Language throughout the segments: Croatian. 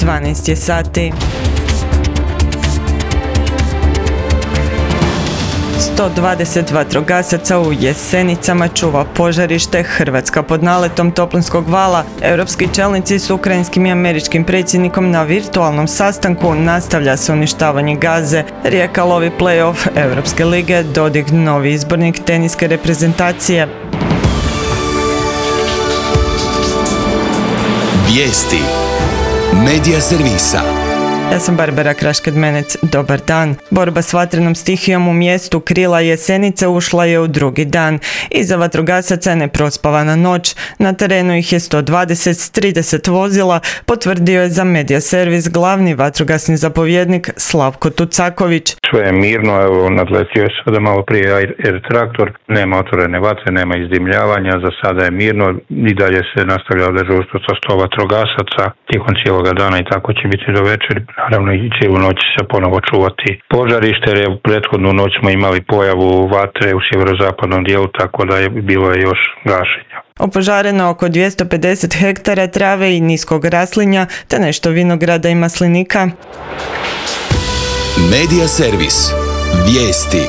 12 je sati. 120 vatrogasaca u Jesenicama čuva požarište. Hrvatska pod naletom toplinskog vala. Europski čelnici s ukrajinskim i američkim predsjednikom na virtualnom sastanku. Nastavlja se uništavanje Gaze. Rijeka lovi play-off Europske lige. Dodik novi izbornik teniske reprezentacije. Vijesti Medija servisa. Ja sam Barbara Krašked-Menec, dobar dan. Borba s vatrenom stihijom u mjestu Krila Jesenice ušla je u drugi dan. Iza vatrogasaca je neprospavana noć. Na terenu ih je 120 s 30 vozila, potvrdio je za Medija servis glavni vatrogasni zapovjednik Slavko Tucaković. Sve je mirno, evo nadletio je sada malo prije air traktor, nema otvorene vatre, nema izdimljavanja, za sada je mirno i dalje se nastavlja dežurstvo sa 100 vatrogasaca tijekom cijeloga dana i tako će biti do večeri. Naravno i cijelu noć se ponovo čuvati požarište, jer je prethodnu noć smo imali pojavu vatre u sjeverozapadnom dijelu, tako da je bilo je još gašenja. Opožareno oko 250 hektara trave i niskog raslinja, te nešto vinograda i maslinika. Medija servis. Vijesti.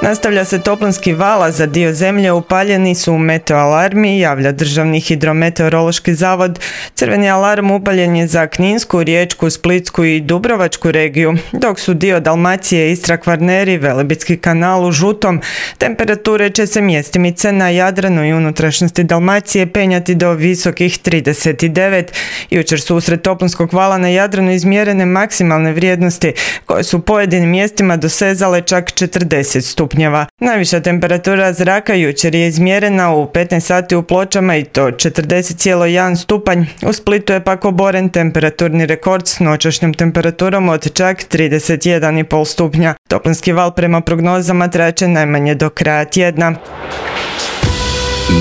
Nastavlja se toplinski val, za dio zemlje upaljeni su meteoalarmi, javlja Državni hidrometeorološki zavod. Crveni alarm upaljen je za Kninsku, Riječku, Splitsku i Dubrovačku regiju, dok su dio Dalmacije, Istra, Kvarneri, Velebitski kanal u žutom. Temperature će se mjestimice na Jadranu i unutrašnjosti Dalmacije penjati do visokih 39. Jučer su usred toplinskog vala na Jadranu izmjerene maksimalne vrijednosti, koje su u pojedinim mjestima dosezale čak 40 stupnjeva. Najviša temperatura zraka jučer je izmjerena u 15 sati u Pločama i to 40,1 stupanj. U Splitu je pak oboren temperaturni rekord s noćašnjom temperaturom od čak 31,5 stupnja. Toplinski val prema prognozama traće najmanje do kraja tjedna.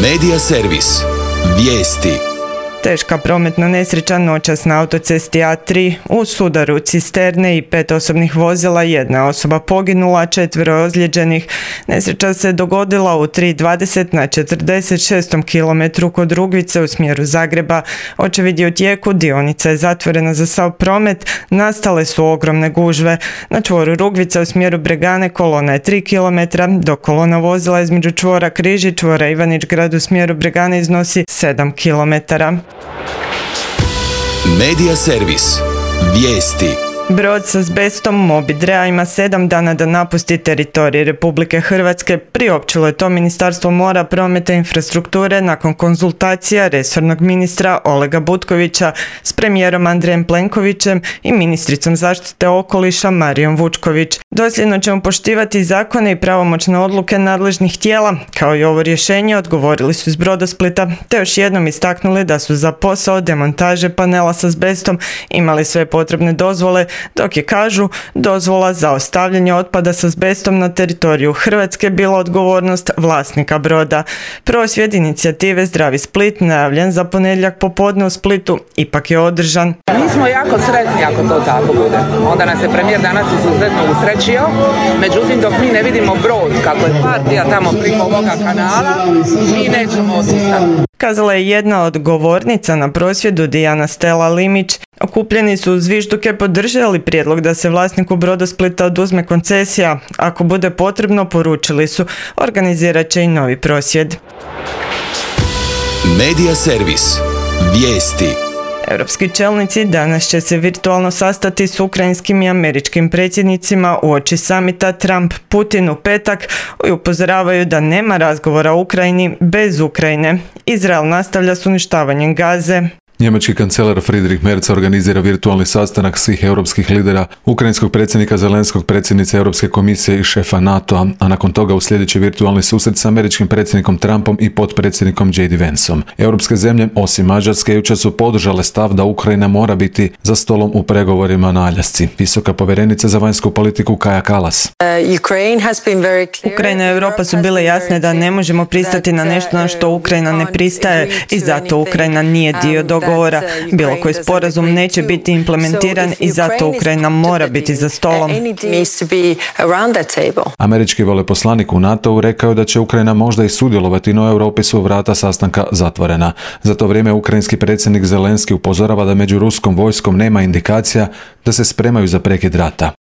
Medija servis. Vijesti. Teška prometna nesreća noćas na autocesti A3 u sudaru cisterne i 5 osobnih vozila, jedna osoba poginula, 4 ozlijeđenih. Nesreća se dogodila u 3:20 na 46. kilometru kod Rugvice u smjeru Zagreba. Očevid je u tijeku, dionica je zatvorena za sav promet, nastale su ogromne gužve. Na čvoru Rugvica u smjeru Bregane kolona je 3 km, dok kolona vozila između čvora Križ i čvora Ivanić Grad u smjeru Bregane iznosi 7 km. Medija servis. Vijesti. Brod s azbestom Mobidrea ima 7 dana da napusti teritorij Republike Hrvatske. Priopćilo je to Ministarstvo mora, prometa i infrastrukture nakon konzultacija resornog ministra Olega Butkovića s premijerom Andrejem Plenkovićem i ministricom zaštite okoliša Marijom Vučković. Dosljedno ćemo poštivati zakone i pravomoćne odluke nadležnih tijela, kao i ovo rješenje, odgovorili su iz Brodosplita, te još jednom istaknuli da su za posao demontaže panela s azbestom imali sve potrebne dozvole, dok je, kažu, dozvola za ostavljanje otpada s azbestom na teritoriju Hrvatske bila odgovornost vlasnika broda. Prosvjed inicijative Zdravi Split, najavljen za ponedjeljak popodne u Splitu, ipak je održan. Mi smo jako sretni ako to tako bude. Onda nas je premijer danas izuzetno usrećio, međutim dok mi ne vidimo brod kako je partija tamo preko ovoga kanala, mi nećemo odustati. Kazala je jedna od govornica na prosvjedu, Dijana Stela Limić. Okupljeni su uz zvižduke podržali prijedlog da se vlasniku Brodosplita oduzme koncesija. Ako bude potrebno, poručili su, organizirat će i novi prosvjed. Medija servis. Vijesti. Europski čelnici danas će se virtualno sastati s ukrajinskim i američkim predsjednicima uoči samita Trump-Putin u petak i upozoravaju da nema razgovora o Ukrajini bez Ukrajine. Izrael nastavlja s uništavanjem Gaze. Njemački kancelar Friedrich Merz organizira virtualni sastanak svih europskih lidera, ukrajinskog predsjednika Zelenskog, predsjednice Europske komisije i šefa NATO-a, a nakon toga uslijedit će virtualni susret s američkim predsjednikom Trumpom i potpredsjednikom J.D. Vanceom. Europske zemlje, osim Mađarske, jučer su podržale stav da Ukrajina mora biti za stolom u pregovorima na Aljasci. Visoka povjerenica za vanjsku politiku Kaja Kallas. Ukrajina i Europa su bile jasne da ne možemo pristati na nešto na što Ukrajina ne pristaje i zato Ukrajina nije dio dogovora. pregovora. Bilo koji sporazum neće biti implementiran i zato Ukrajina mora biti za stolom. Američki veleposlanik u NATO-u rekao da će Ukrajina možda i sudjelovati, no Europi su vrata sastanka zatvorena. Za to vrijeme ukrajinski predsjednik Zelenski upozorava da među ruskom vojskom nema indikacija da se spremaju za prekid rata.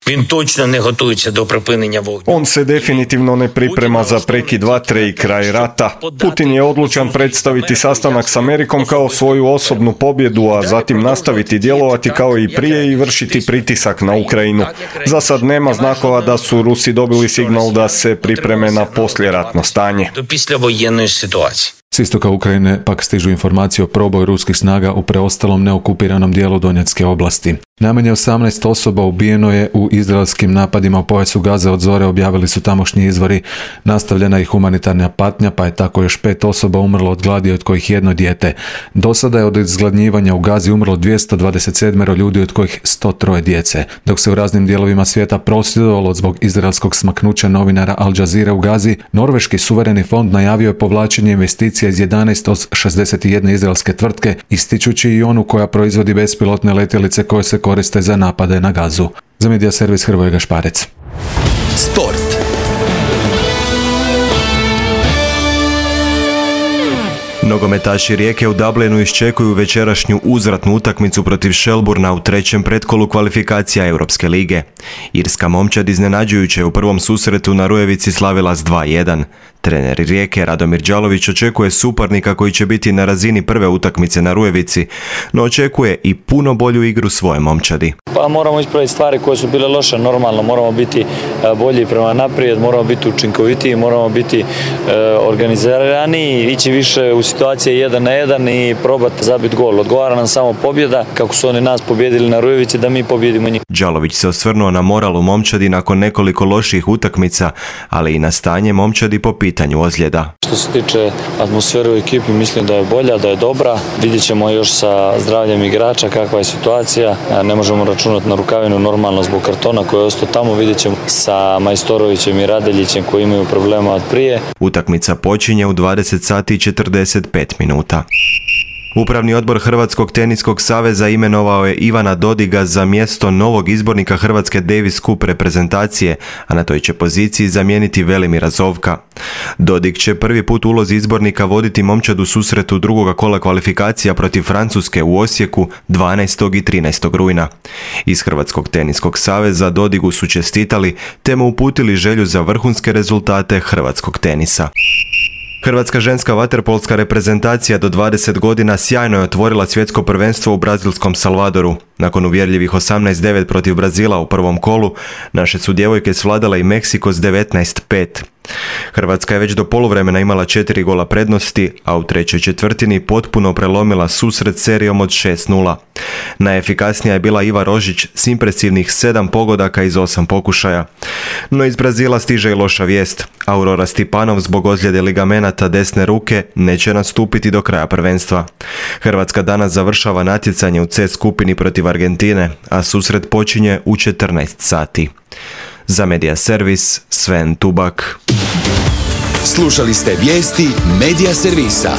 On se definitivno ne priprema za prekid vatre i kraj rata. Putin je odlučan predstaviti sastanak s Amerikom kao svoju osobnu pobjedu, a zatim nastaviti djelovati kao i prije i vršiti pritisak na Ukrajinu. Za sad nema znakova da su Rusi dobili signal da se pripreme na poslijeratno stanje. S istoka Ukrajine pak stižu informacije o proboju ruskih snaga u preostalom neokupiranom dijelu Donjecke oblasti. Najmanje 18 osoba ubijeno je u izraelskim napadima u pojasu Gaze od zore, objavili su tamošnji izvori. Nastavljena je humanitarna patnja, pa je tako još 5 osoba umrlo od gladi, od kojih 1 dijete. Do sada je od izgladnjivanja u Gazi umrlo 227 ljudi, od kojih 103 djece. Dok se u raznim dijelovima svijeta prosvjedovalo zbog izraelskog smaknuća novinara Al Jazeera u Gazi, Norveški suvereni fond najavio je povlačenje investicija iz 11 od 61 izraelske tvrtke, ističući i onu koja proizvodi bespilotne letjelice koje se koriste za napade na Gazu. Za Medija servis Hrvoje Gašparec. Sport. Nogometaši Rijeke u Dublinu iščekuju večerašnju uzvratnu utakmicu protiv Shelburna u trećem pretkolu kvalifikacija Europske lige. Irska momčad iznenađujuće u prvom susretu na Rujevici slavila s 2:1. Trener Rijeke Radomir Đalović očekuje suparnika koji će biti na razini prve utakmice na Rujevici, no očekuje i puno bolju igru svoje momčadi. Pa moramo ispraviti stvari koje su bile loše, normalno, moramo biti bolji prema naprijed, moramo biti učinkovitiji, moramo biti organizirani, ići više u situacije 1 na 1 i probati zabiti gol. Odgovara nam samo pobjeda, kako su oni nas pobjedili na Rujevici, da mi pobjedimo njih. Đalović se osvrnuo na moral u momčadi nakon nekoliko loših utakmica, ali i na stanje momčadi po pitanju ozljeda. Što se tiče atmosfere u ekipi, mislim da je bolja, da je dobra. Vidjet ćemo još sa zdravljem igrača kakva je situacija. Ne možemo računati na Rukavinu normalno zbog kartona koji je ostao tamo. Vidjet ćemo sa Majstorovićem i Radeljićem koji imaju problema od prije. Utakmica počinje u 20 sati i 45 minuta. Upravni odbor Hrvatskog teniskog saveza imenovao je Ivana Dodiga za mjesto novog izbornika Hrvatske Davis Cup reprezentacije, a na toj će poziciji zamijeniti Velimira Zovka. Dodig će prvi put u ulozi izbornika voditi momčad u susretu drugoga kola kvalifikacija protiv Francuske u Osijeku 12. i 13. rujna. Iz Hrvatskog teniskog saveza Dodigu su čestitali te mu uputili želju za vrhunske rezultate hrvatskog tenisa. Hrvatska ženska vaterpolska reprezentacija do 20 godina sjajno je otvorila svjetsko prvenstvo u brazilskom Salvadoru. Nakon uvjerljivih 18-9 protiv Brazila u prvom kolu, naše su djevojke svladale i Meksiko s 19-5. Hrvatska je već do poluvremena imala 4 gola prednosti, a u trećoj četvrtini potpuno prelomila susret serijom od 6-0. Najefikasnija je bila Iva Rožić s impresivnih 7 pogodaka iz 8 pokušaja. No iz Brazila stiže i loša vijest. Aurora Stipanov zbog ozljede ligamenata desne ruke neće nastupiti do kraja prvenstva. Hrvatska danas završava natjecanje u C skupini protiv Argentine, a susret počinje u 14 sati. Za Medija servis Sven Tubak. Slušali ste vijesti Medija servisa.